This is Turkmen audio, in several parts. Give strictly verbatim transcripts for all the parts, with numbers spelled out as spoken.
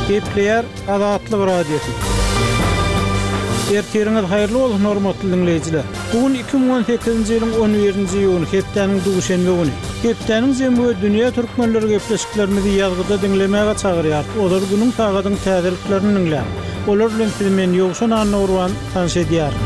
Gepleýär Azatlyk Radiosy. Ertiriňiz haýyrly bolsun hormatly diňleýjiler. Bu gün iki müň on sekizinji ýylyň on birinji iýuny, hepdäniň duşenbe güni. Hepdäniň jemi we dünýä türkmenleri gepleşiklerimizi ýazgyda diňlemäge çagyrýar. Olar günüň sagadyň täzeliklerini diňläň. Olar bilen sizi men Ýowşan Annagurban tanyş edýärin.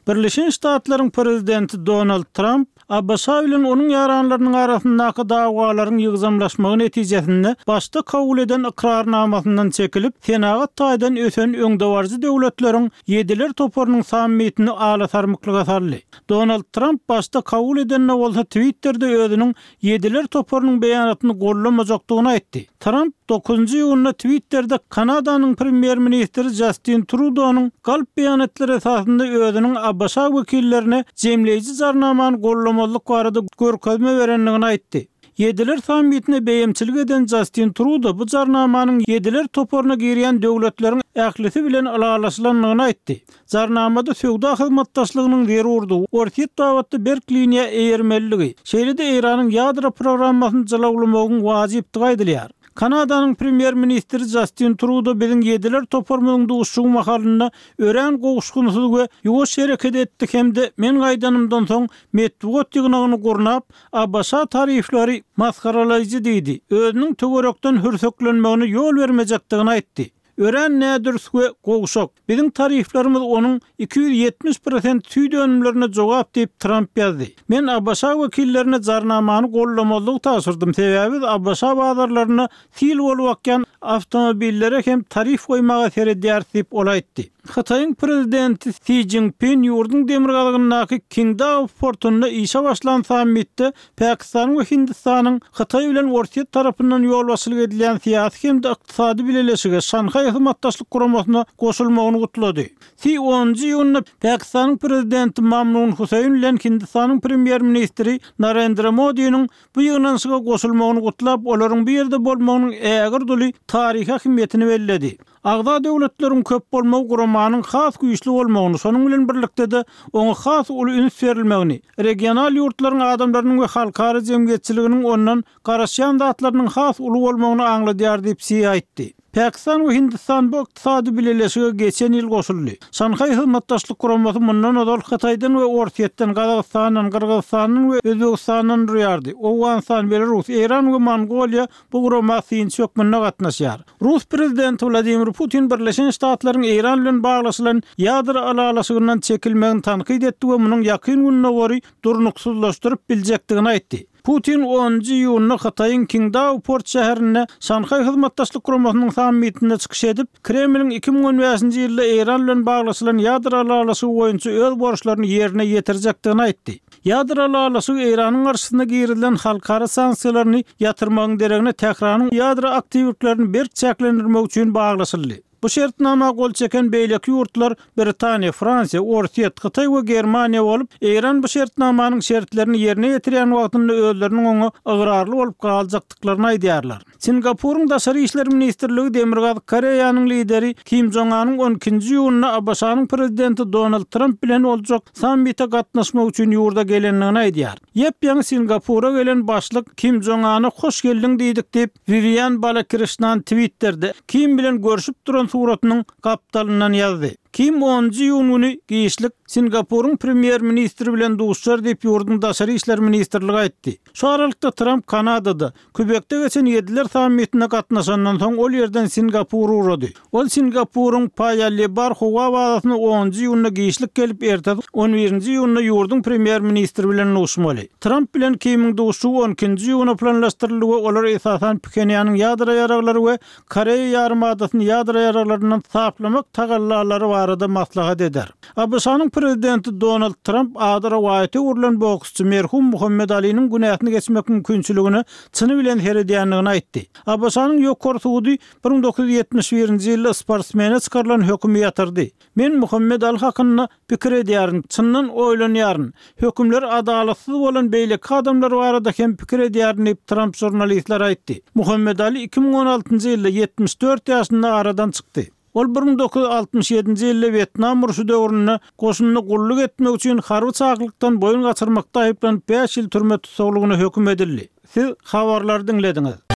Birleşen Ştatlaryň prezidenti Donald Tramp A B Ş bilen onuň ýaranlarynyň arasyndaky dawalaryň ýygjamlaşmagy netijesinde başda kabul eden ykrarnamasyndan çekilip, senagat taýdan ösen öňdebaryjy döwletleriň Ýediler toparynyň sammitini alasarmyklyga saldy. Donald Tramp başda kabul edende bolsa Twitter'de özüniň Ýediler toparynyň beýanatyny gollamajakdygyny aýtdy. Tramp dokuzynjy iýunda Twitter'de Kanadanyň premýer-ministri Justin Trudeau'nyň galp beýanatlar esasynda özüniň A B Ş wekillerine jemleýji jarnamany gollamazlyk barada görkezme berendigini aýtdy. Ýediler sammitine beýemçilik eden Justin Trudeau bu jarnamanyň Ýediler toparyna girýän döwletleriň ählisi bilen ylalaşylandygyny aýtdy. Jarnamada söwda hyzmatdaşlygynyň zerurdygy, Orsýet babatda berk liniýa eýermeliligi, şeýle-de Eýranyň ýadro programmasyny jylawlamagyň wajypdygy aýdylýar. Kanadanyň premýer-ministri Justin Trudeau biziň Ýediler toparymyzyň duşuşygy mahalynda örän gowuşgynsyz we ýuwaş hereket etdi hem-de men gaýdanymdan soň metbugat ýygnagyny gurnap, A B Ş tarifleri masgaralaýjy diýdi. Özüniň töwerekden hürseklenmegine ýol bermejekdigini aýtdy. Örän nädürs we gowşak. Biziň tariflerimiz onuň iki ýüz ýetmiş prosent süýt önümlerine jogap diýip Tramp ýazdy. Men A B Ş wekillerine jarnamany gollamazlygy tabşyrdym. Sebäbi biz A B Ş bazarlaryna sil bolup akýan awtomobillere hem tarif goýmaga seredýäris diýip ol aýtdy. Hytaýyň prezidenti Si Jinping ýurduň demirgazygyndaky Qingdao portunda işe başlan sammitde Pakistanyň we Hindistanyň Hytaý bilen Orsýet tarapyndan ýolbaşçylyk edilýän syýasy hem-de ykdysady bileleşige Şanhaý hyzmatdaşlyk guramasyna goşulmagyny gutlady. Si onunjy iýunda Pakistanyň prezidenti Mamnun Huseýn bilen Hindistanyň premýer-ministri Narendra Modi'niň bu ýygnanyşyga goşulmagyny gutlap, olaryň bu ýerde bolmagynyň ägir duly taryhy ähmiýetini belledi. Agza döwletleriň köp bolmagy guramanyň has güýçli bolmagyny, şonuň bilen birlikde-de oňa has uly üns berilmegini, regional ýurtlaryň adamlarynyň we halkara jemgyýetçiliginiň ondan garaşýan zatlarynyň has uly bolmagyny aňladýar diýip Si aýtdy. Pakistan we Hindistan bu ykdysady bileleşige geçen ýyl goşuldy. Şanhaý hyzmatdaşlyk guramasy mundan ozal Hytaýdan we Orsýetden, Gazagystandan, Gyrgyzystandan we Özbegistandan durýardy. Owganystan, Belarus, Eýran we Mongoliýa bu gurama synçy hökmünde gatnaşýar. Rus prezidenti Wladimir Putin Birleşen Ştatlaryň Eýran bilen baglaşylan ýadro ylalaşygyndan çekilmegini tankyt etdi we munuň ýakyn Gündogary durnuksyzlaşdyryp biljekdigini aýtdy. Putin onunjy iýunda Hytaýyň Qingdao port şäherinde Şanhaý hyzmatdaşlyk guramasynyň sammitinde çykyş edip, Kremliň iki müň on bäşinji ýylda Eýran bilen baglaşylan ýadro ylalaşygy boýunça öz borçlaryny ýerine ýetirjekdigini aýtdy. Ýadro ylalaşygy Eýranyň garşysyna girizilen halkara sanksiýalaryny ýatyrmagyň deregine Tähranyň ýadro aktiwliklerini berk çäklendirmek üçin baglaşyldy. Bu şertnama gol çeken beýleki ýurtlar Britaniýa, Fransiýa, Orsýet, Hytaý we Germaniýa bolup, Eýran bu şertnamanyň şertlerini ýerine ýetirýän wagtynda özleriniň oňa ygrarly bolup galjakdyklaryny aýdýarlar. Singapuryň Daşary işler ministrligi Demirgazyk Koreýanyň lideri Kim Jong-anyň on ikinji iýunda A B Ş-nyň prezidenti Donald Tramp bilen boljak sammite gatnaşmak üçin ýurda gelendigini aýdýar. Ýep-ýaňy Singapura gelen başlyk Kim Jong-ana hoş geldiň diýdik diýip, Vivian Balakrishnan Twitter'de Kim bilen görüşüp duran suratynyň gapdalyndan ýazdy. Kim onunjy iýun güni giçlik Singapuryň premýer-ministri bilen duşar diýip ýurduň Daşary işler ministrligi aýtdy. Şu aralykda Tramp Kanadada Kübekde geçen Ýediler sammitine gatnaşandan soň ol ýerden Singapura ugrady. Ol Singapuryň Paya Lebar howa bazasyna onunjy iýunda giçlik gelip, ertesi on birinji iýunda ýurduň premýer-ministri bilen duşmaly. Tramp bilen Kimiň duşuşygy on ikinji iýuna planlaşdyryldy we olar esasan Phenýanyň ýadro ýaraglary we Koreýa ýarymadasyny ýadro ýaraglaryndan saplamak tagallalary barada maslahat eder. A B Ş-nyň prezidenti Donald Tramp ady rowaýata öwrülen boksçy merhum Muhammed Aliniň günäsini geçmek mümkinçiligine çyny bilen seredýändigini aýtdy. A B Ş-nyň ýokary sudy bir müň dokuz ýüz ýetmiş birinji ýylda sportsmene çykarylan hökümi ýatyrdy. Men Muhammed Ali hakynda pikir edýärin, çyndan oýlanýaryn. Hökümler adalatsyz bolan beýleki adamlar barada hem pikir edýärin diýip Tramp žurnalistler aýtdy. Muhammed Ali iki müň on altynjy ýylda ýetmiş dört ýaşynda aradan çykdy. Ol bir müň dokuz ýüz altmyş ýedinji ýylda Wýetnam urşy döwründe goşunda gulluk etmek üçin harby çaklykdan boýun gaçyrmakda aýyplanyp bäş ýyl türme tussaglygyna höküm edildi. Siz habarlary diňlediňiz.